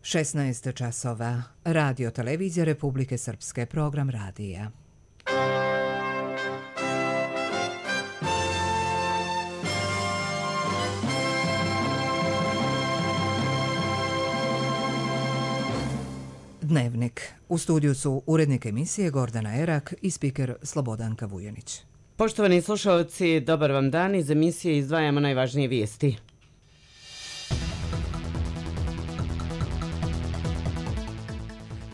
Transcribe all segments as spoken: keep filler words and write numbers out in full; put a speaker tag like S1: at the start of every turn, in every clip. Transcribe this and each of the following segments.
S1: šesnaest časova. Radio Televizija Republike Srpske, program radija. Dnevnik. U studiju su urednik emisije Gordana Erak i spiker Slobodanka Vujanić.
S2: Poštovani slušalci, dobar vam dan. Iz emisije izdvajamo najvažnije vijesti.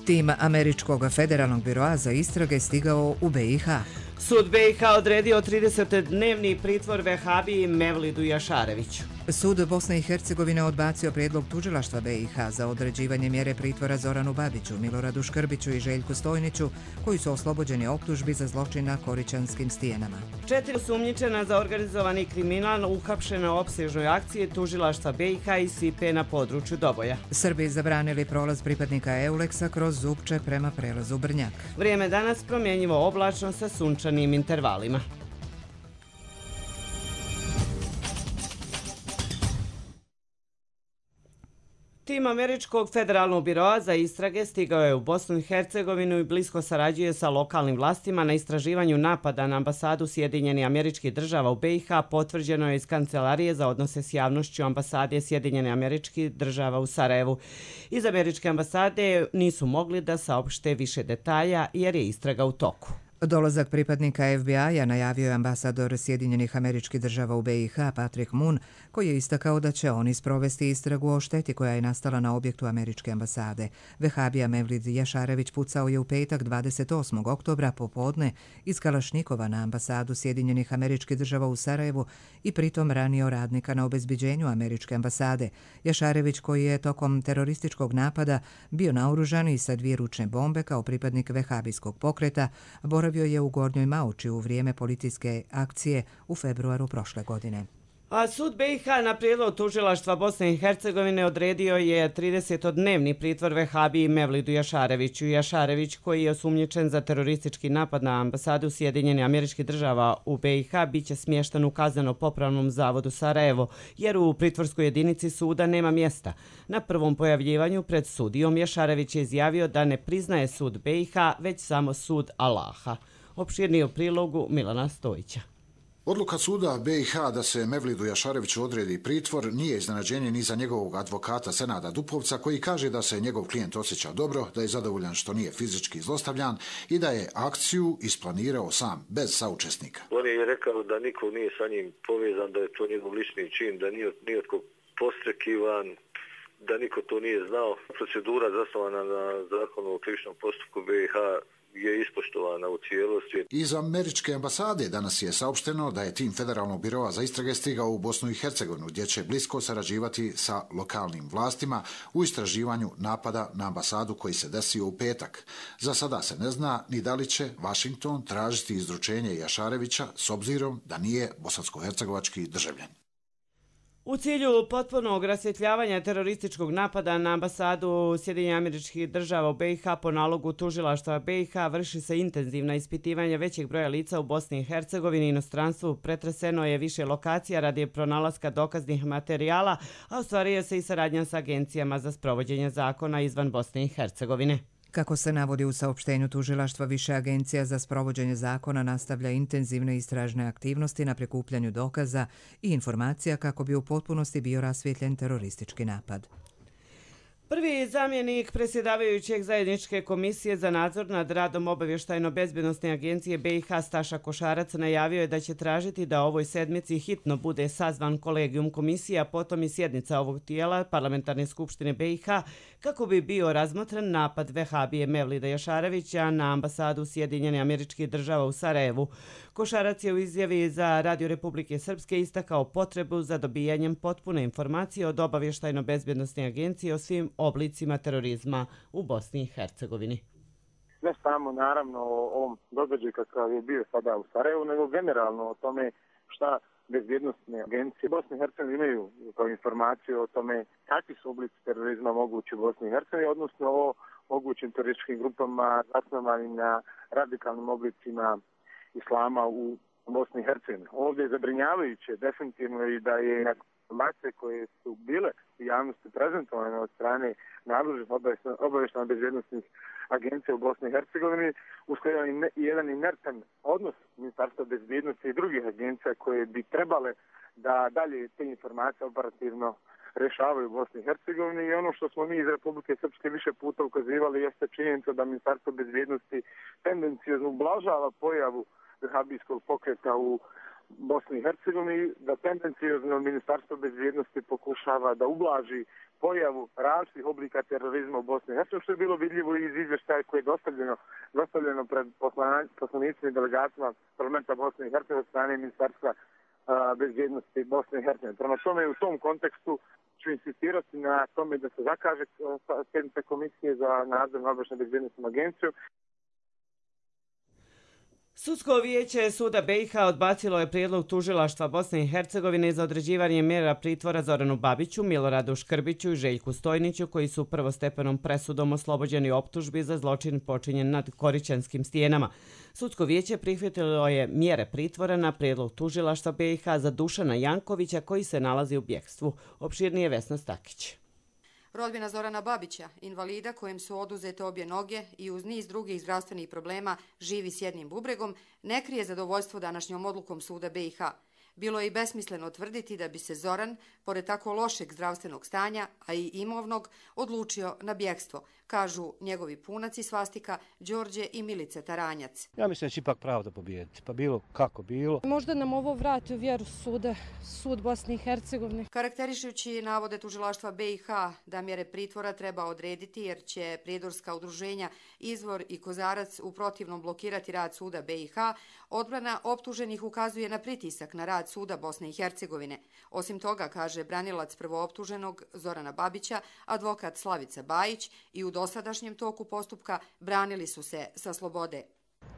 S1: Tim Američkog federalnog biroa za istrage stigao u be i ha.
S2: Sud be i ha odredio tridesetdnevni pritvor vehabiji Mevlidu Jašareviću.
S1: Sud Bosne i Hercegovine odbacio prijedlog tužilaštva be i ha za određivanje mjere pritvora Zoranu Babiću, Miloradu Škrbiću i Željku Stojniću, koji su oslobođeni optužbi za zločin na Korićanskim stijenama.
S2: Četiri osumnjičena za organizovani kriminal uhapšena u opsežnoj akciji tužilaštva be i ha i sipe na području Doboja.
S1: Srbi zabranili prolaz pripadnika Euleksa kroz Zupče prema prelazu Brnjak.
S2: Vrijeme danas promjenjivo oblačno sa sunčanim intervalima. Tim Američkog federalnog biroa za istrage stigao je u Bosnu i Hercegovinu i blisko sarađuje sa lokalnim vlastima na istraživanju napada na ambasadu Sjedinjenih Američkih Država u be i ha, potvrđeno je iz Kancelarije za odnose s javnošću ambasade Sjedinjenih Američkih Država u Sarajevu. Iz američke ambasade nisu mogli da saopšte više detalja jer je istraga u toku.
S1: Dolazak pripadnika ef be i a najavio je ambasador Sjedinjenih Američkih Država u be i ha Patrick Moon, koji je istakao da će oni sprovesti istragu o šteti koja je nastala na objektu američke ambasade. Vehabija Mevlid Jašarević pucao je u petak dvadeset osmog oktobra popodne iz Kalašnikova na ambasadu Sjedinjenih Američkih Država u Sarajevu i pritom ranio radnika na obezbeđenju američke ambasade. Jašarević, koji je tokom terorističkog napada bio naoružan i sa dvije ručne bombe kao pripadnik vehabijskog pokreta, boravio je u Gornjoj Mauči u vrijeme policijske akcije u februaru prošle godine.
S2: A sud be i ha na prijedlog tužilaštva Bosne i Hercegovine odredio je tridesetdnevni pritvor vehabiji Mevlidu Jašareviću. Jašarević, koji je osumnjičen za teroristički napad na ambasadu Sjedinjenih Američkih Država u be i ha, bit će smješten u kazneno-popravnom zavodu Sarajevo, jer u pritvorskoj jedinici suda nema mjesta. Na prvom pojavljivanju pred sudijom Jašarević je izjavio da ne priznaje sud be i ha, već samo sud Allaha. Opširniji u prilogu Milana Stojića.
S3: Odluka suda be i ha da se Mevlidu Jašareviću odredi pritvor nije iznenađenje ni za njegovog advokata Senada Dupovca, koji kaže da se njegov klijent osjeća dobro, da je zadovoljan što nije fizički zlostavljan i da je akciju isplanirao sam, bez saučesnika.
S4: On je rekao da niko nije sa njim povezan, da je to njegov lični čin, da nije nijotko postrekivan, da niko to nije znao. Procedura zasnovana na zakonu o krivičnom postupku be i ha je ispoštovana u cijelosti.
S3: Iz američke ambasade danas je saopšteno da je tim Federalnog biroa za istrage stigao u Bosnu i Hercegovinu, gdje će blisko sarađivati sa lokalnim vlastima u istraživanju napada na ambasadu koji se desio u petak. Za sada se ne zna ni da li će Washington tražiti izručenje Jašarevića s obzirom da nije bosansko-hercegovački državljan.
S2: U cilju potpunog rasvjetljavanja terorističkog napada na ambasadu Sjedinjenih Američkih Država u be i ha po nalogu tužilaštva be i ha vrši se intenzivna ispitivanja većeg broja lica u Bosni i Hercegovini i inostranstvu. Pretreseno je više lokacija radi pronalaska dokaznih materijala, a ostvaruje se i saradnja sa agencijama za sprovođenje zakona izvan Bosne i Hercegovine.
S1: Kako se navodi u saopštenju tužilaštva, više agencija za sprovođenje zakona nastavlja intenzivne istražne aktivnosti na prikupljanju dokaza i informacija kako bi u potpunosti bio rasvijetljen teroristički napad.
S2: Prvi zamjenik predsjedavajućeg zajedničke komisije za nadzor nad radom obavještajno-bezbjednosne agencije be i ha Staša Košarac najavio je da će tražiti da ovoj sedmici hitno bude sazvan kolegijum komisije, a potom i sjednica ovog tijela Parlamentarne skupštine be i ha kako bi bio razmotren napad vehabije Mevlida Jašarevića na ambasadu Sjedinjenih Američkih Država u Sarajevu. Košarac je u izjavi za Radio Republike Srpske istakao potrebu za dobijanjem potpune informacije od obavještajno-bezbjednosne agencije o svim oblicima terorizma u Bosni i Hercegovini.
S5: Ne samo naravno o ovom događaju kakav je bio sada u Sarajevu, nego generalno o tome šta bezbjednostne agencije Bosne i Hercegovine imaju kao informaciju o tome kakvi su oblici terorizma mogući u Bosni i Hercegovini, odnosno o mogućim terorističkim grupama zasnovanim na radikalnim oblicima islama u Bosni i Hercegovini. Ovdje je zabrinjavajuće definitivno i da je informacije koje su bile u javnosti prezentovane od strane nadležnih obavještajno bezbjednosnih agencija u Bosni i Hercegovini uslijedio jedan inertan odnos Ministarstva bezbjednosti i drugih agencija koje bi trebale da dalje te informacije operativno rješavaju u Bosni i Hercegovini i ono što smo mi iz Republike Srpske više puta ukazivali jeste činjenica da Ministarstvo bezbjednosti tendencijozno ublažava pojavu vehabijskog pokreta u Bosni i Hercegovini, da tendencijozno Ministarstvo bezbjednosti pokušava da ublaži pojavu različitih oblika terorizma u Bosni i Hercegovini, što je bilo vidljivo iz izvještaja koje je dostavljeno, dostavljeno pred poslanicima i delegatima parlamenta Bosne i Hercegovine od strane Ministarstva a, bezbjednosti Bosne i Hercegovine. Prema tome, u tom kontekstu ću insistirati na tome da se zakaže sjednica Komisije za nadzor nad obavještajnom bezbjednosnom agencijom.
S2: Sudsko vijeće Suda B i H odbacilo je prijedlog tužilaštva Bosne i Hercegovine za određivanje mjera pritvora Zoranu Babiću, Miloradu Škrbiću i Željku Stojniću, koji su prvostepenom presudom oslobođeni optužbi za zločin počinjen nad Korićanskim stijenama. Sudsko vijeće prihvatilo je mjere pritvora na prijedlog tužilaštva B i H za Dušana Jankovića, koji se nalazi u bjekstvu. Opširnije Vesna Stakić.
S6: Rodbina Zorana Babića, invalida kojem su oduzete obje noge i uz niz drugih zdravstvenih problema živi s jednim bubregom, ne krije zadovoljstvo današnjom odlukom Suda B i H. Bilo je i besmisleno tvrditi da bi se Zoran, pored tako lošeg zdravstvenog stanja, a i imovnog, odlučio na bjekstvo, kažu njegovi punac i svastika Đorđe i Milica Taranjac.
S7: Ja mislim da će ipak pravda pobijediti, pa bilo kako bilo.
S8: Možda nam ovo vrati u vjeru suda, sud Bosne i Hercegovine.
S6: Karakterišujući navode tužilaštva B i H da mjere pritvora treba odrediti jer će prijedorska udruženja Izvor i Kozarac u protivnom blokirati rad suda B i H, odbrana optuženih ukazuje na pritisak na rad suda Bosne i Hercegovine. Osim toga, kaže branilac prvooptuženog Zorana Babića, advokat Slavica Bajić, i u dosadašnjem toku postupka branili su se sa slobode.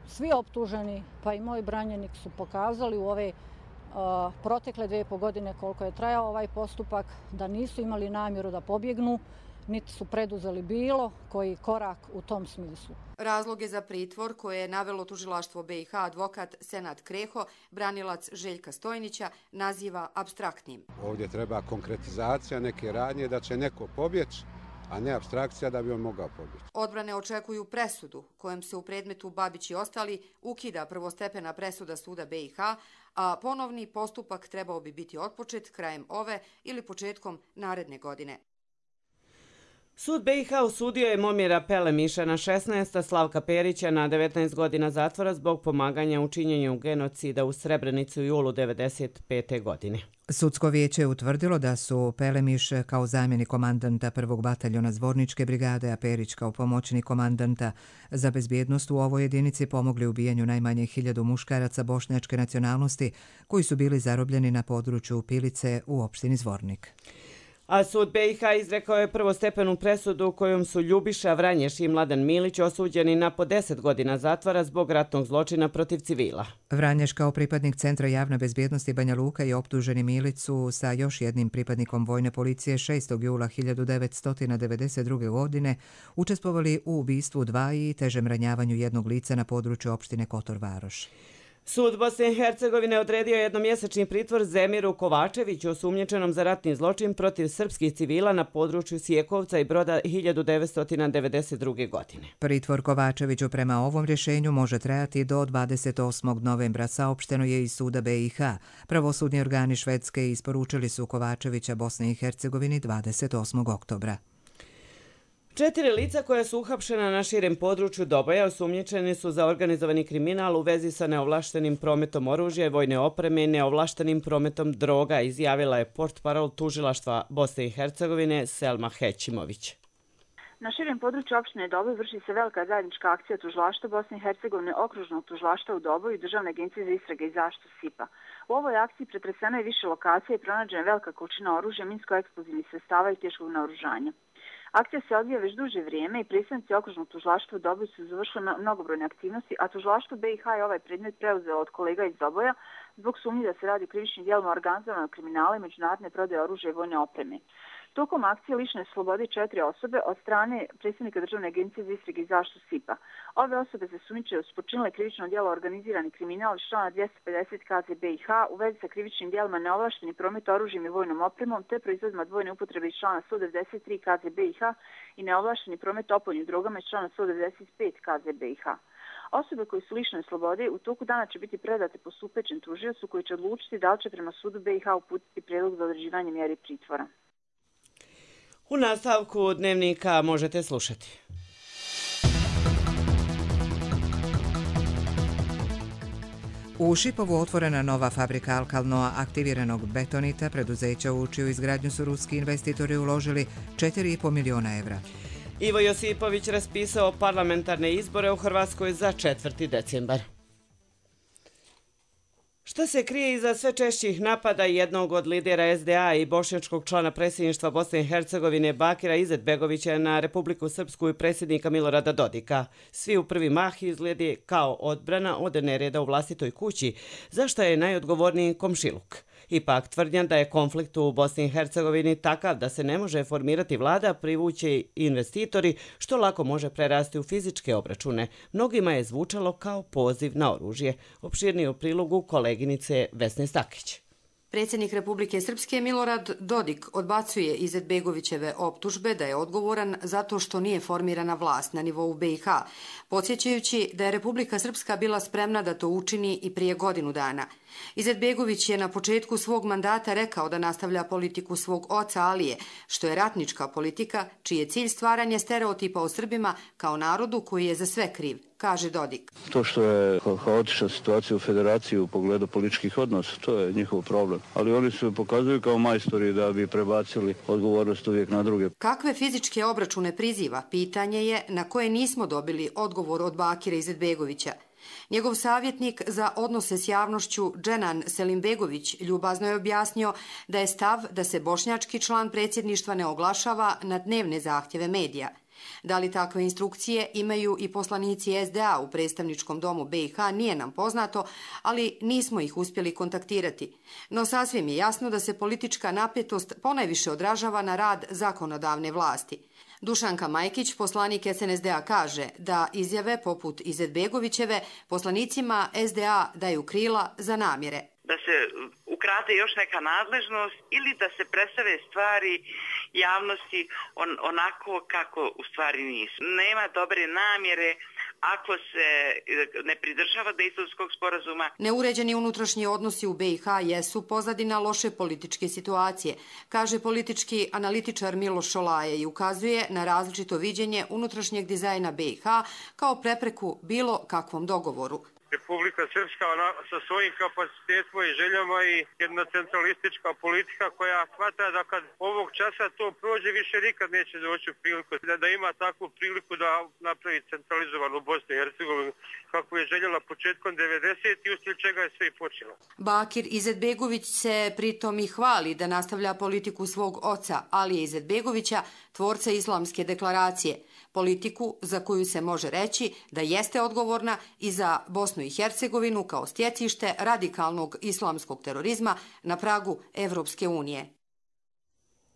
S9: Svi optuženi, pa i moj branjenik, su pokazali u ove uh, protekle dvije i po godine koliko je trajao ovaj postupak da nisu imali namjeru da pobjegnu, niti su preduzeli bilo koji korak u tom smislu.
S6: Razloge za pritvor koje je navelo tužilaštvo B i H advokat Senad Kreho, branilac Željka Stojnića, naziva apstraktnim.
S10: Ovdje treba konkretizacija neke radnje da će neko pobjeći, a ne apstrakcija da bi on mogao pobjeći.
S6: Odbrane očekuju presudu kojem se u predmetu Babić i ostali ukida prvostepena presuda suda B i H, a ponovni postupak trebao bi biti otpočet krajem ove ili početkom naredne godine.
S2: Sud B i H osudio je Momira Pelemiša na šesnaest, a Slavka Perića na devetnaest godina zatvora zbog pomaganja u činjenju genocida u Srebrenici u julu devedeset pete. godine.
S1: Sudsko vijeće je utvrdilo da su Pelemiš kao zamjenik komandanta prvog bataljona Zvorničke brigade, a Perić kao pomoćnik komandanta za bezbjednost u ovoj jedinici pomogli ubijanju najmanje hiljadu muškaraca bošnjačke nacionalnosti koji su bili zarobljeni na području Pilice u opštini Zvornik.
S2: A sud B i H izrekao je prvostepenu presudu kojom su Ljubiša Vranješ i Mladen Milić osuđeni na po deset godina zatvora zbog ratnog zločina protiv civila.
S1: Vranješ kao pripadnik Centra javne bezbjednosti Banja Luka i optuženi Milicu sa još jednim pripadnikom vojne policije šestog jula hiljadu devetsto devedeset druge. godine učestvovali u ubistvu dva i težem ranjavanju jednog lica na području opštine Kotor Varoš.
S2: Sud Bosne i Hercegovine odredio jednomjesečni pritvor Zemiru Kovačeviću osumnjičenom za ratni zločin protiv srpskih civila na području Sjekovca i Broda hiljadu devetsto devedeset druge. godine.
S1: Pritvor Kovačeviću prema ovom rješenju može trajati do dvadeset osmog novembra, saopšteno je iz suda B i H. Pravosudni organi Švedske isporučili su Kovačevića Bosne i Hercegovini dvadeset osmog oktobra.
S2: Četiri lica koja su uhapšena na širem području Doboja osumnjičeni su za organizovani kriminal u vezi sa neovlaštenim prometom oružja i vojne opreme i neovlaštenim prometom droga, izjavila je portparol tužilaštva Bosne i Hercegovine Selma Hećimović.
S11: Na širem području opštine Doboj vrši se velika zajednička akcija tužilaštva Bosne i Hercegovine, okružnog tužilaštva u Doboju i Državne agencije za istrage i zaštitu S I P-a. U ovoj akciji pretreseno je više lokacija i pronađena velika količina oružja, minsko-eksplozivnih sredstava i teškog naoružanja. Akcija se odvija već duže vrijeme i predstavnici okružnog tužilaštva u Doboju su završili mnogobrojne aktivnosti, a tužilaštvo B i H je ovaj predmet preuzelo od kolega iz Doboja zbog sumnje da se radi o krivičnim djelima organizovanog kriminala i međunarodne prodaje oružja i vojne opreme. Tokom akcije lišene slobode četiri osobe od strane predsjednika Državne agencije za istrage i zaštitu S I P-a. Ove osobe se sumnjiče su počinile krivično djelo organizirani kriminal iz člana dvjesto pedeset K Z B I H u vezi sa krivičnim djelima neovlašteni promet oružjem i vojnom opremom te proizvodima dvojne upotrebe iz člana sto devedeset tri K Z B I H i neovlašteni promet opojnim drogama iz člana sto devedeset pet K Z B I H. Osobe koje su lišene slobode u toku dana će biti predate postupećem tužiocu koji će odlučiti da li će prema sudu B I H uputiti prijedlog za određivanje mjeri pritvora.
S2: U nastavku dnevnika možete slušati.
S1: U Šipovu otvorena nova fabrika alkalno aktiviranog betonita. Preduzeća u čiju izgradnju su ruski investitori uložili četiri i po miliona evra.
S2: Ivo Josipović raspisao parlamentarne izbore u Hrvatskoj za četvrti decembar. Šta se krije iza sve češćih napada jednog od lidera S D A i bošnjačkog člana predsjedništva Bosne i Hercegovine Bakira Izetbegovića na Republiku Srpsku i predsjednika Milorada Dodika? Svi u prvi mah izgledi kao odbrana od nereda u vlastitoj kući, za što je najodgovorniji komšiluk. Ipak tvrdnja da je konflikt u Bosni i Hercegovini takav da se ne može formirati vlada, privući investitori, što lako može prerasti u fizičke obračune. Mnogima je zvučalo kao poziv na oružje. Opširnije u prilogu koleginice Vesne Stakić.
S6: Predsjednik Republike Srpske Milorad Dodik odbacuje Izetbegovićeve optužbe da je odgovoran zato što nije formirana vlast na nivou B i H, podsjećajući da je Republika Srpska bila spremna da to učini i prije godinu dana. Izetbegović je na početku svog mandata rekao da nastavlja politiku svog oca Alije, što je ratnička politika, čiji je cilj stvaranje stereotipa o Srbima kao narodu koji je za sve kriv, kaže Dodik.
S12: To što je haotična situacija u federaciji u pogledu političkih odnosa, to je njihov problem. Ali oni se pokazuju kao majstori da bi prebacili odgovornost uvijek na druge.
S6: Kakve fizičke obračune priziva, pitanje je na koje nismo dobili odgovor od Bakira Izetbegovića. Njegov savjetnik za odnose s javnošću Dženan Selimbegović ljubazno je objasnio da je stav da se bošnjački član predsjedništva ne oglašava na dnevne zahtjeve medija. Da li takve instrukcije imaju i poslanici S D A u predstavničkom domu B i H nije nam poznato, ali nismo ih uspjeli kontaktirati. No sasvim je jasno da se politička napetost ponajviše odražava na rad zakonodavne vlasti. Dušanka Majkić, poslanik S N S D A, kaže da izjave poput Izetbegovićeve poslanicima S D A daju krila za namjere.
S13: Da se ukrade još neka nadležnost ili da se predstave stvari javnosti on, onako kako u stvari nisu. Nema dobre namjere ako se ne pridržava Dejtonskog sporazuma.
S6: Neuređeni unutrašnji odnosi u B i H jesu pozadina loše političke situacije, kaže politički analitičar Miloš Šolaje i ukazuje na različito viđenje unutrašnjeg dizajna B i H kao prepreku bilo kakvom dogovoru.
S14: Republika Srpska ona, sa svojim kapacitetima i željama i jedna centralistička politika koja smatra da kad ovog časa to prođe više nikad neće doći u priliku da, da ima takvu priliku da napravi centralizovanu Bosnu i Hercegovinu kako je željela početkom devedesetih i uslijed čega je sve i počelo.
S6: Bakir Izetbegović se pritom i hvali da nastavlja politiku svog oca Alije Izetbegovića, tvorca Islamske deklaracije, politiku za koju se može reći da jeste odgovorna i za Bosnu i Hercegovinu kao stjecište radikalnog islamskog terorizma na pragu Evropske unije.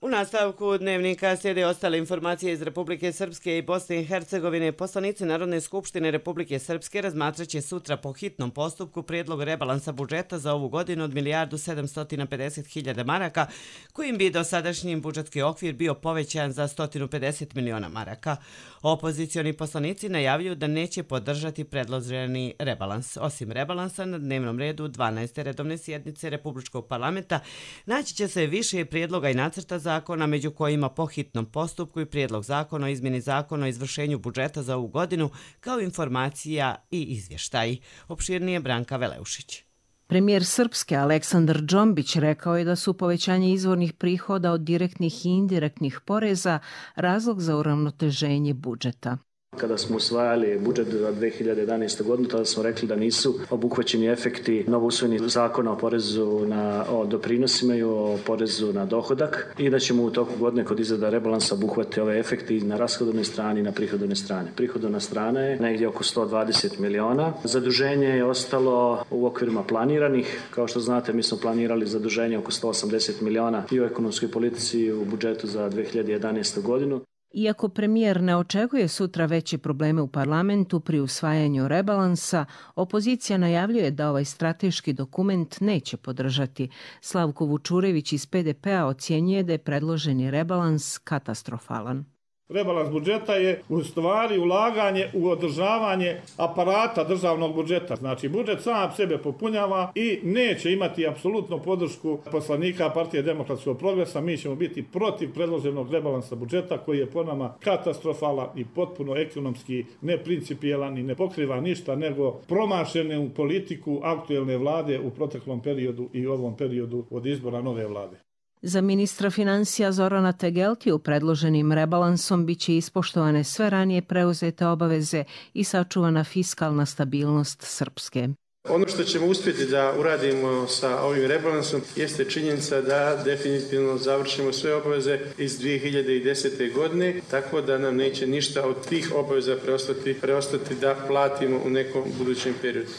S2: U nastavku dnevnika slijede ostale informacije iz Republike Srpske i Bosne i Hercegovine. Poslanici Narodne skupštine Republike Srpske razmatraće sutra po hitnom postupku prijedlog rebalansa budžeta za ovu godinu od milijardu sedamsto pedeset hiljada maraka, kojim bi dosadašnji budžetski okvir bio povećan za sto pedeset miliona maraka. Opozicioni poslanici najavljuju da neće podržati predloženi rebalans. Osim rebalansa, na dnevnom redu dvanaeste redovne sjednice Republičkog parlamenta naći će se više prijedloga i nacrta zakona, među kojima po hitnom postupku i prijedlog zakona o izmjeni zakona o izvršenju budžeta za ovu godinu, kao informacija i izvještaji. Opširnije Branka Veleušić.
S15: Premijer Srpske Aleksandar Džombić rekao je da su povećanje izvornih prihoda od direktnih i indirektnih poreza razlog za uravnoteženje budžeta.
S16: Kada smo usvajali budžet za dve hiljade jedanaeste. godinu, tada smo rekli da nisu obuhvaćeni efekti novousvojenih zakona o porezu na o doprinosima i o porezu na dohodak i da ćemo u toku godine kod izrada rebalansa obuhvatiti ove efekti na rashodovnoj strani i na prihodovnoj strani. Prihodovna strana je negdje oko sto dvadeset miliona. Zaduženje je ostalo u okvirima planiranih. Kao što znate, mi smo planirali zaduženje oko sto osamdeset miliona i u ekonomskoj politici i u budžetu za dve hiljade jedanaestu. godinu.
S15: Iako premijer ne očekuje sutra veće probleme u parlamentu pri usvajanju rebalansa, opozicija najavljuje da ovaj strateški dokument neće podržati. Slavko Vučurević iz P D P-a ocjenjuje da je predloženi rebalans katastrofalan.
S17: Rebalans budžeta je u stvari ulaganje u održavanje aparata državnog budžeta. Znači, budžet sam sebe popunjava i neće imati apsolutno podršku poslanika Partije demokratskog progresa. Mi ćemo biti protiv predloženog rebalansa budžeta koji je po nama katastrofalan i potpuno ekonomski neprincipijelan i ne pokriva ništa nego promašenu politiku aktuelne vlade u proteklom periodu i ovom periodu od izbora nove vlade.
S15: Za ministra financija Zorana Tegeltiju predloženim rebalansom biće ispoštovane sve ranije preuzete obaveze i sačuvana fiskalna stabilnost Srpske.
S18: Ono što ćemo uspjeti da uradimo sa ovim rebalansom jeste činjenica da definitivno završimo sve obaveze iz dvije hiljade desete. godine, tako da nam neće ništa od tih obaveza preostati, preostati da platimo u nekom budućem periodu.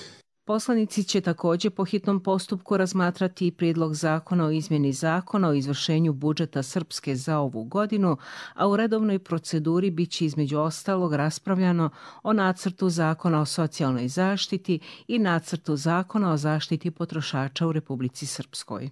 S15: Poslanici će također po hitnom postupku razmatrati i prijedlog zakona o izmjeni zakona o izvršenju budžeta Srpske za ovu godinu, a u redovnoj proceduri biće između ostalog raspravljano o nacrtu zakona o socijalnoj zaštiti i nacrtu zakona o zaštiti potrošača u Republici Srpskoj.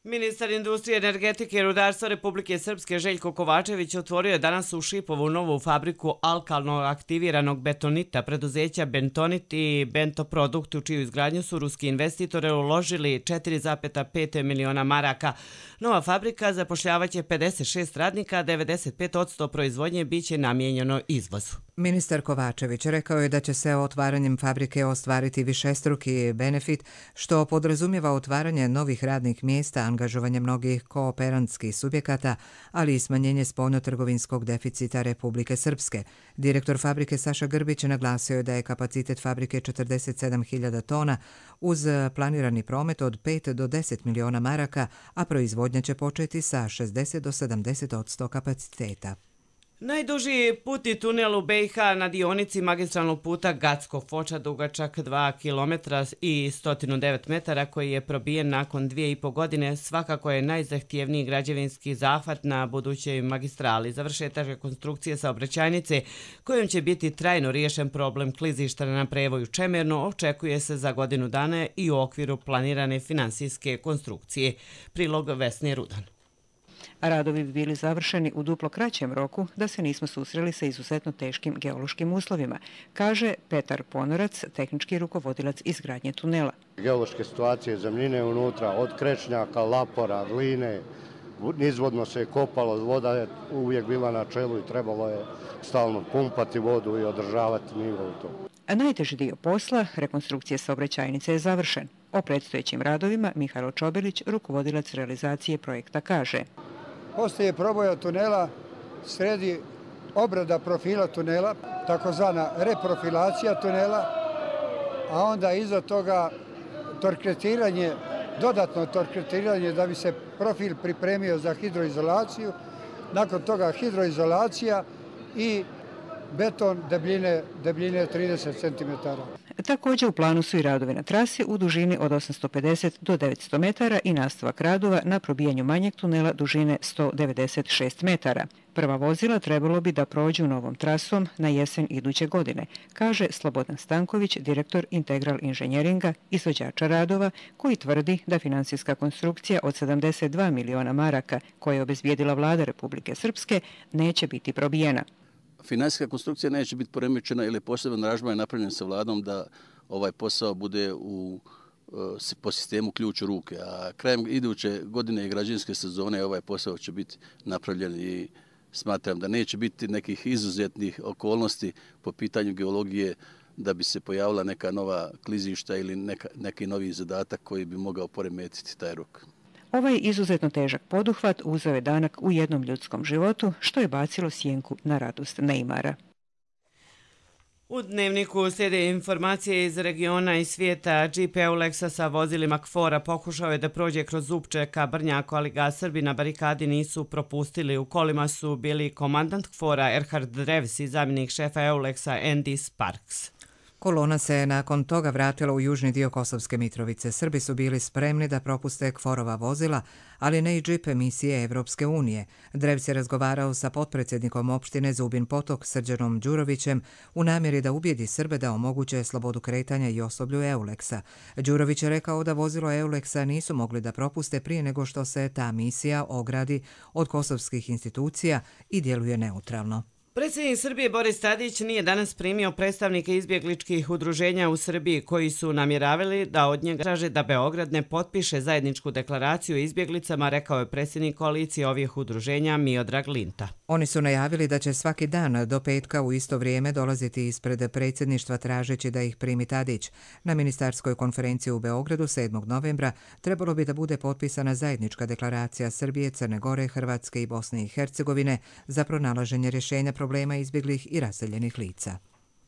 S2: Ministar industrije, energetike i rudarstva Republike Srpske Željko Kovačević otvorio je danas u Šipovu novu fabriku alkalno aktiviranog betonita preduzeća Bentonit i Bentoprodukt, u čiju izgradnju su ruski investitore uložili četiri zarez pet miliona maraka. Nova fabrika zapošljavaće pedeset šest radnika, a devedeset pet posto proizvodnje biće namijenjeno izvozu.
S1: Ministar Kovačević rekao je da će se otvaranjem fabrike ostvariti višestruki benefit, što podrazumijeva otvaranje novih radnih mjesta, angažovanje mnogih kooperantskih subjekata, ali i smanjenje spoljnotrgovinskog deficita Republike Srpske. Direktor fabrike Saša Grbić naglasio je da je kapacitet fabrike četrdeset sedam hiljada tona uz planirani promet od pet do deset miliona maraka, a proizvodnja će početi sa šezdeset do sedamdeset posto kapaciteta.
S2: Najduži putni tunel u B i H na dionici magistralnog puta Gacko-Foča dugačak dva kilometra i sto devet metara koji je probijen nakon dvije i po godine svakako je najzahtjevniji građevinski zahvat na budućoj magistrali. Završetak rekonstrukcije saobraćajnice kojom će biti trajno riješen problem klizišta na prevoju Čemerno očekuje se za godinu dana i u okviru planirane finansijske konstrukcije. Prilog Vesne Rudan.
S19: Radovi bi bili završeni u duplo kraćem roku da se nismo susreli sa izuzetno teškim geološkim uslovima, kaže Petar Ponorac, tehnički rukovodilac izgradnje tunela.
S20: Geološke situacije zemljine unutra, od krečnjaka, lapora, gline, nizvodno se je kopalo, voda je uvijek bila na čelu i trebalo je stalno pumpati vodu i održavati nivo u to.
S19: A najteži dio posla, rekonstrukcije saobraćajnice, je završen. O predstojećim radovima Mihajlo Čobelić, rukovodilac realizacije projekta, kaže:
S21: Postoje proboja tunela, sredi obrada profila tunela, takozvana reprofilacija tunela, a onda iza toga torkretiranje, dodatno torkretiranje da bi se profil pripremio za hidroizolaciju, nakon toga hidroizolacija i beton debljine, debljine trideset centimetara.
S19: Također u planu su i radovi na trasi u dužini od osamsto pedeset do devetsto metara i nastavak radova na probijanju manjeg tunela dužine sto devedeset šest metara. Prva vozila trebalo bi da prođu novom trasom na jesen iduće godine, kaže Slobodan Stanković, direktor Integral inženjeringa, izvođača radova, koji tvrdi da finansijska konstrukcija od sedamdeset dva miliona maraka koje je obezbijedila vlada Republike Srpske neće biti probijena.
S22: Finansijska konstrukcija neće biti poremećena ili je poseban aranžman napravljen sa vladom da ovaj posao bude u, po sistemu ključ u ruke. A krajem iduće godine i građevinske sezone ovaj posao će biti napravljen i smatram da neće biti nekih izuzetnih okolnosti po pitanju geologije da bi se pojavila neka nova klizišta ili neka, neki novi zadatak koji bi mogao poremetiti taj rok.
S19: Ovaj izuzetno težak poduhvat uzeo je danak u jednom ljudskom životu, što je bacilo sjenku na radost Neymara.
S2: U Dnevniku slijede informacije iz regiona i svijeta. Džip Eulexa sa vozilima Kfora pokušao je da prođe kroz Zupče ka Brnjaku, ali ga Srbi na barikadi nisu propustili. U kolima su bili komandant Kfora Erhard Drevs i zamjenik šefa Eulexa Andy Sparks.
S1: Kolona se nakon toga vratila u južni dio Kosovske Mitrovice. Srbi su bili spremni da propuste Kforova vozila, ali ne i džip misije Evropske unije. Drevs je razgovarao sa potpredsjednikom opštine Zubin Potok Srđanom Đurovićem u namjeri da ubijedi Srbe da omoguće slobodu kretanja i osoblju Eulexa. Đurović je rekao da vozilo Eulexa nisu mogli da propuste prije nego što se ta misija ogradi od kosovskih institucija i djeluje neutralno.
S2: Predsjednik Srbije Boris Tadić nije danas primio predstavnike izbjegličkih udruženja u Srbiji koji su namjeravali da od njega traže da Beograd ne potpiše zajedničku deklaraciju o izbjeglicama, rekao je predsjednik koalicije ovih udruženja Miodrag Linta.
S1: Oni su najavili da će svaki dan do petka u isto vrijeme dolaziti ispred predsjedništva tražeći da ih primi Tadić. Na ministarskoj konferenciji u Beogradu sedmog novembra trebalo bi da bude potpisana zajednička deklaracija Srbije, Crne Gore, Hrvatske i Bosne i Hercegovine za pronalaženje rješenja problema izbjeglih i raseljenih lica.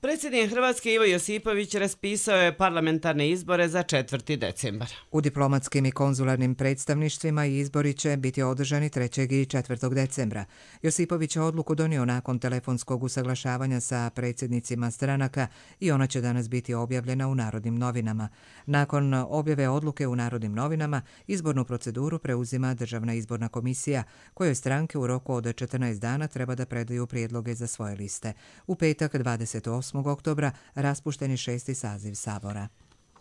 S2: Predsjednik Hrvatske Ivo Josipović raspisao je parlamentarne izbore za četvrti decembar.
S1: U diplomatskim i konzularnim predstavništvima izbori će biti održani trećeg i četvrtog decembra. Josipović je odluku donio nakon telefonskog usaglašavanja sa predsjednicima stranaka i ona će danas biti objavljena u Narodnim novinama. Nakon objave odluke u Narodnim novinama, izbornu proceduru preuzima Državna izborna komisija, kojoj stranke u roku od četrnaest dana treba da predaju prijedloge za svoje liste. U petak dvadeset osmog oktobra raspušten je šesti saziv Sabora.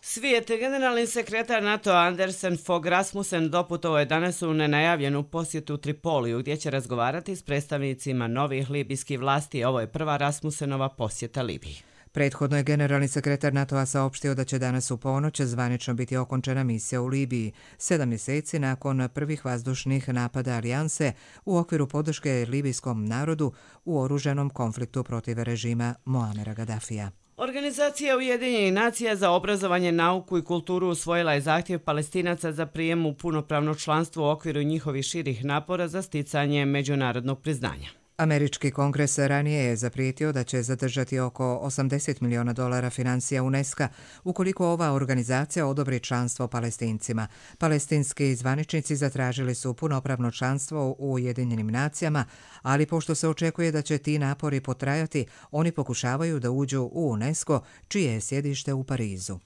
S2: Svijet, generalni sekretar NATO Andersen Fogh Rasmussen doputovao je danas u nenajavljenu posjetu Tripoliju, gdje će razgovarati s predstavnicima novih libijskih vlasti. Ovo je prva Rasmussenova posjeta Libiji.
S1: Prethodno je generalni sekretar NATO-a saopštio da će danas u ponoć zvanično biti okončana misija u Libiji, sedam mjeseci nakon prvih vazdušnih napada alijanse u okviru podrške libijskom narodu u oružanom konfliktu protiv režima Muamera Gaddafija.
S2: Organizacija Ujedinjenih nacija za obrazovanje, nauku i kulturu usvojila je zahtjev Palestinaca za prijem u punopravno članstvo u okviru njihovih širih napora za sticanje međunarodnog priznanja.
S1: Američki kongres ranije je zaprijetio da će zadržati oko osamdeset miliona dolara financija UNESCO ukoliko ova organizacija odobri članstvo Palestincima. Palestinski zvaničnici zatražili su punopravno članstvo u Ujedinjenim nacijama, ali pošto se očekuje da će ti napori potrajati, oni pokušavaju da uđu u UNESCO, čije je sjedište u Parizu.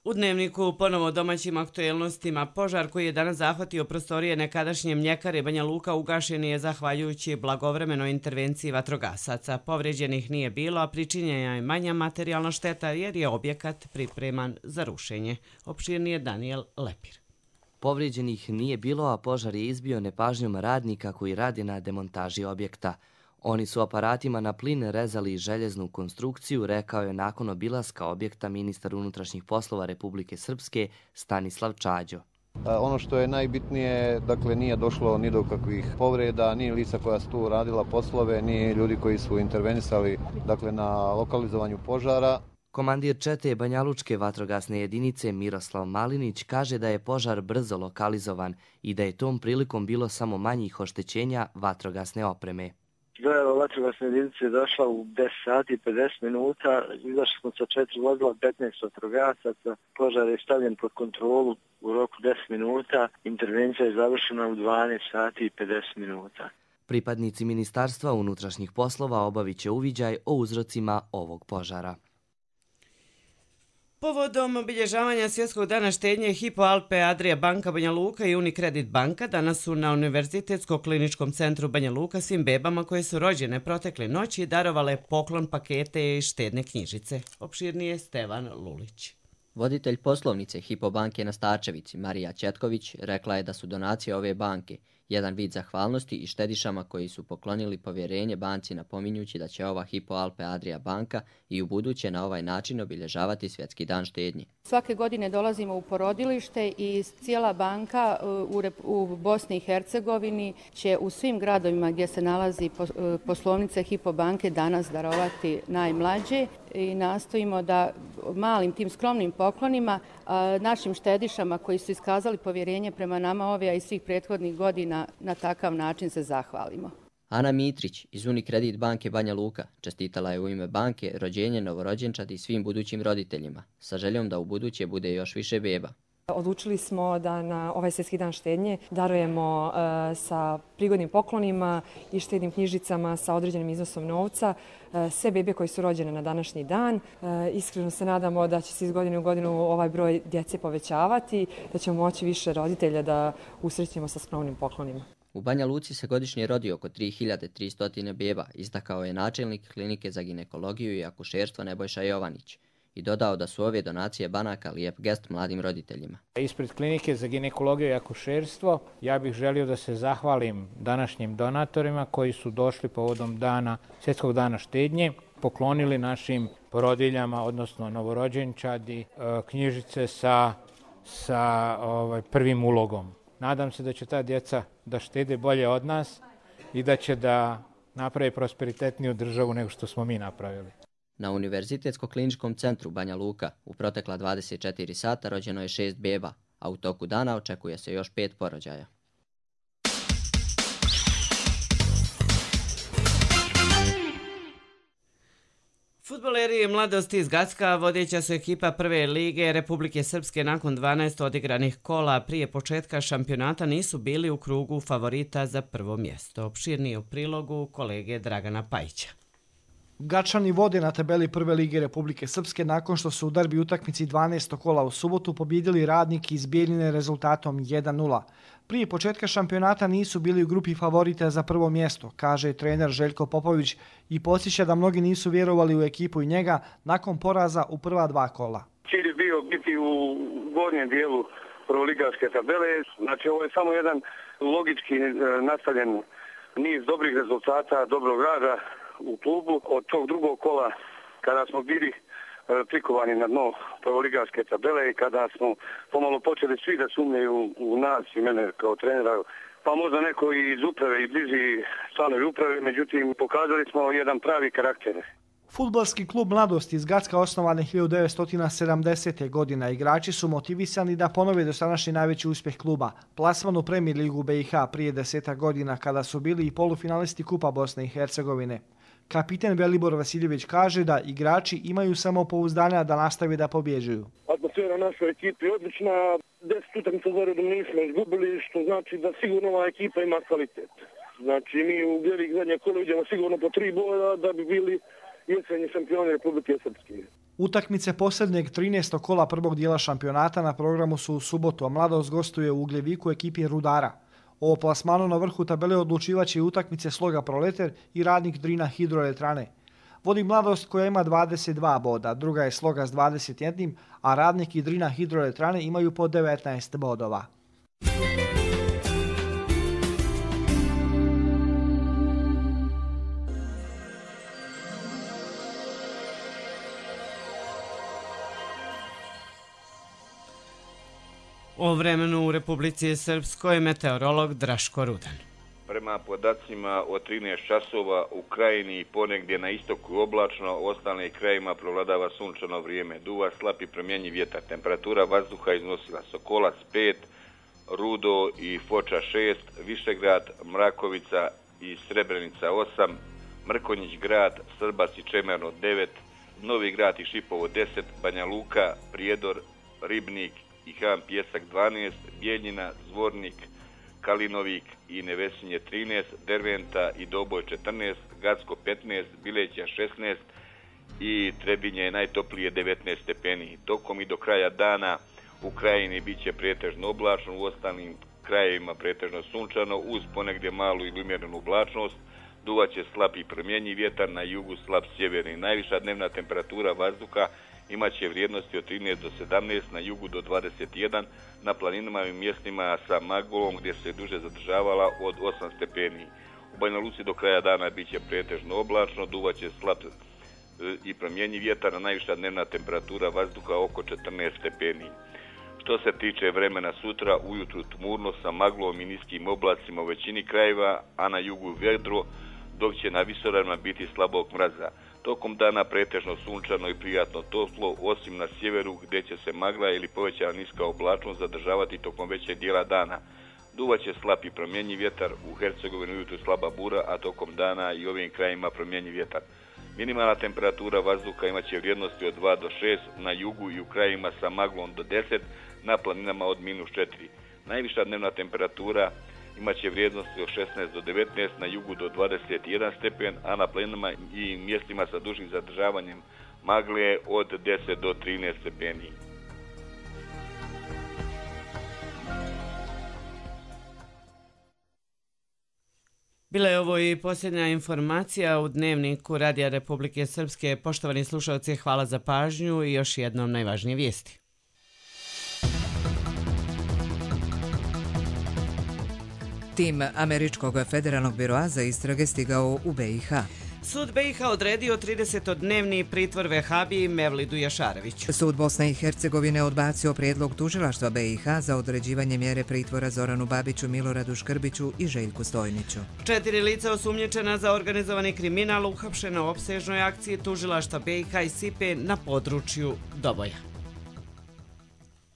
S2: U Dnevniku ponovo domaćim aktuelnostima. Požar koji je danas zahvatio prostorije nekadašnje mljekare Banja Luka ugašen je zahvaljujući blagovremenoj intervenciji vatrogasaca. Povređenih nije bilo, a pričinjena je manja materijalna šteta jer je objekat pripreman za rušenje. Opširnije Daniel Lepir.
S3: Povređenih nije bilo, a požar je izbio nepažnjom radnika koji radi na demontaži objekta. Oni su aparatima na plin rezali željeznu konstrukciju, rekao je nakon obilaska objekta ministar unutrašnjih poslova Republike Srpske Stanislav Čađo.
S4: Ono što je najbitnije, dakle, nije došlo ni do kakvih povreda, ni lica koja su tu radila poslove, ni ljudi koji su intervenisali, dakle, na lokalizovanju požara.
S3: Komandir čete Banjalučke vatrogasne jedinice Miroslav Malinić kaže da je požar brzo lokalizovan i da je tom prilikom bilo samo manjih oštećenja vatrogasne opreme.
S23: Dojava vatrogasne jedinice je došla u deset sati i pedeset minuta, izašli smo sa četiri vozila, petnaest vatrogasaca, požar je stavljen pod kontrolu u roku deset minuta, intervencija je završena u dvanaest sati i pedeset minuta.
S3: Pripadnici Ministarstva unutrašnjih poslova obavit će uviđaj o uzrocima ovog požara.
S2: Povodom obilježavanja Svjetskog dana štednje Hypo Alpe Adria banka Banja Luka i Unicredit banka danas su na Univerzitetsko-kliničkom centru Banja Luka svim bebama koje su rođene protekle noći darovale poklon pakete i štedne knjižice. Opširnije Stevan Lulić.
S24: Voditelj poslovnice Hypo banke na Starčevici, Marija Četković, rekla je da su donacije ove banke jedan vid zahvalnosti i štedišama koji su poklonili povjerenje banci, napominjući da će ova Hypo Alpe Adria banka i u buduće na ovaj način obilježavati Svjetski dan štednje.
S25: Svake godine dolazimo u porodilište i cijela banka u, u Bosni i Hercegovini će u svim gradovima gdje se nalazi poslovnice Hypo banke danas darovati najmlađe i nastojimo da malim tim skromnim poklonima našim štedišama koji su iskazali povjerenje prema nama ove i svih prethodnih godina na takav način se zahvalimo.
S24: Ana Mitrić iz Unikredit banke Banja Luka čestitala je u ime banke rođenje novorođenčadi svim budućim roditeljima, sa željom da u buduće bude još više beba.
S5: Odlučili smo da na ovaj svjetski dan štednje darujemo e, sa prigodnim poklonima i štednim knjižicama sa određenim iznosom novca e, sve bebe koji su rođene na današnji dan. E, iskreno se nadamo da će se iz godine u godinu ovaj broj djece povećavati, da ćemo moći više roditelja da usrećemo sa skromnim poklonima.
S24: U Banja Luci se godišnje rodi oko tri hiljade tristo beba, istakao je načelnik klinike za ginekologiju i akušerstvo Nebojša Jovanić i dodao da su ove donacije banaka lijep gest mladim roditeljima.
S7: Ispred klinike za ginekologiju i akušerstvo ja bih želio da se zahvalim današnjim donatorima koji su došli povodom dana, svjetskog dana štednje, poklonili našim porodiljama, odnosno novorođenčadi, knjižice sa, sa ovaj, prvim ulogom. Nadam se da će ta djeca da štede bolje od nas i da će da naprave prosperitetniju državu nego što smo mi napravili.
S24: Na Univerzitetsko-kliničkom centru Banja Luka u protekla dvadeset četiri sata rođeno je šest beba, a u toku dana očekuje se još pet porođaja.
S2: Fudbaleri Mladosti iz Gacka, vodeća su ekipa prve lige Republike Srpske nakon dvanaest odigranih kola prije početka šampionata, nisu bili u krugu favorita za prvo mjesto. Opširnije u prilogu kolege Dragana Pajića.
S8: Gačani vode na tabeli prve lige Republike Srpske nakon što su u derbi utakmici dvanaestog kola u subotu pobjedili Radnik iz Bijeljine rezultatom jedan nula. Prije početka šampionata nisu bili u grupi favorita za prvo mjesto, kaže trener Željko Popović i podsjeća da mnogi nisu vjerovali u ekipu i njega nakon poraza u prva dva kola.
S9: Cilj je bio biti u gornjem dijelu prvoligaške tabele, znači ovo je samo jedan logički nastavljen niz dobrih rezultata, dobrog rada u klubu. Od tog drugog kola, kada smo bili prikovani na dno prvoligaške tabele i kada smo pomalo počeli svi da sumnjaju u nas i mene kao trenera, pa možda neko iz uprave i bliži članovi uprave, međutim pokazali smo jedan pravi karakter.
S8: Fudbalski klub Mladosti iz Gacka osnovan hiljadu devetsto sedamdesete. godine. Igrači su motivisani da ponove dosadašnji najveći uspjeh kluba, plasman u Premier ligu B i H prije desetak godina kada su bili i polufinalisti Kupa Bosne i Hercegovine. Kapiten Velibor Vasiljević kaže da igrači imaju samopouzdanja da nastave da pobjeđuju.
S9: Atmosfera našoj ekipi je odlična, deset utakmica za redom nismo izgubili, što znači da sigurno ova ekipa ima kvalitet. Znači mi u Bjelik zadnje kolo idemo sigurno po tri boda da bi bili jesenji šampioni Republike Srpske.
S8: Utakmice posljednjeg trinaestog kola prvog dijela šampionata na programu su u subotu, a Mladost gostuje u Ugljeviku ekipi Rudara. O plasmanu na vrhu tabele odlučivaće i utakmice Sloga Proleter i Radnik Drina Hidroelektrane. Vodi Mladost koja ima dvadeset dva boda, druga je Sloga s dvadeset jedan, a Radnik i Drina Hidroelektrane imaju po devetnaest bodova.
S2: O vremenu u Republici Srpskoj meteorolog Draško Rudan.
S10: Prema podacima od trinaest časova u Krajini i ponegdje na istoku oblačno, ostalim krajima provladava sunčano vrijeme. Duva slab i promjenjiv vjetar. Temperatura vazduha iznosila Sokolac pet, Rudo i Foča šest, Višegrad, Mrakovica i Srebrenica osam, Mrkonjić grad, Srbac i Čemerno devet, Novi grad i Šipovo deset, Banja Luka, Prijedor, Ribnik i Han Pjesak dvanaest, Bijeljina, Zvornik, Kalinovik i Nevesinje trinaest, Derventa i Doboj četrnaest, Gacko petnaest, Bileća šesnaest i Trebinje je najtoplije devetnaest stepeni. Tokom i do kraja dana u Krajini bit će pretežno oblačno, u ostalim krajevima pretežno sunčano, uz ponegdje malu ili umjerenu oblačnost. Duvaće slab i promjenjiv vjetar, na jugu slab sjeverni. Najviša dnevna temperatura vazduha imaće vrijednosti od trinaest do sedamnaest, na jugu do dvadeset jedan, na planinama i mjestima sa maglom gdje se duže zadržavala od osam stepeni. U Banja Luci do kraja dana bit će pretežno oblačno, duvaće slab i promjenjiv vjetar, a najviša dnevna temperatura vazduha oko četrnaest stepeni. Što se tiče vremena sutra, ujutru tmurno sa maglom i niskim oblacima u većini krajeva, a na jugu vedro, dok će na visoravnima biti slabog mraza. Tokom dana pretežno sunčano i prijatno toplo, osim na sjeveru gdje će se magla ili povećana niska oblačnost zadržavati tokom većeg dijela dana. Duvaće slab i promjenjiv vjetar, u Hercegovini ujutru slaba bura, a tokom dana i ovim krajima promjenjiv vjetar. Minimalna temperatura vazduha imaće vrijednosti od dva do šest, na jugu i u krajima sa maglom do deset, na planinama od minus četiri. Najviša dnevna temperatura imaće vrijednosti od šesnaest do devetnaest, na jugu do dvadeset jedan stepen, a na planinama i mjestima sa dužim zadržavanjem magle od deset do trinaest stepeni.
S2: Bila je ovo i posljednja informacija u Dnevniku Radija Republike Srpske. Poštovani slušalci, hvala za pažnju i još jednom najvažnije vijesti.
S1: Tim Američkog federalnog biroa za istrage stigao u be i ha.
S2: Sud be i ha odredio tridesetodnevni pritvor vehabiji Mevlidu Jašareviću.
S1: Sud Bosne i Hercegovine odbacio prijedlog tužilaštva be i ha za određivanje mjere pritvora Zoranu Babiću, Miloradu Škrbiću i Željku Stojniću.
S2: Četiri lica osumnjičena za organizovani kriminal uhapšena u opsežnoj akciji tužilaštva be i ha i Sipe na području Doboja.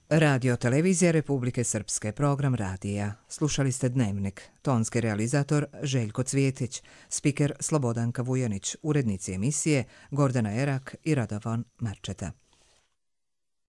S1: Radio Televizija Republike Srpske, program radija. Slušali ste Dnevnik. Tonski realizator Željko Cvjetić, spiker Slobodanka Vujanić, urednici emisije Gordana Erak i Radovan Marčeta.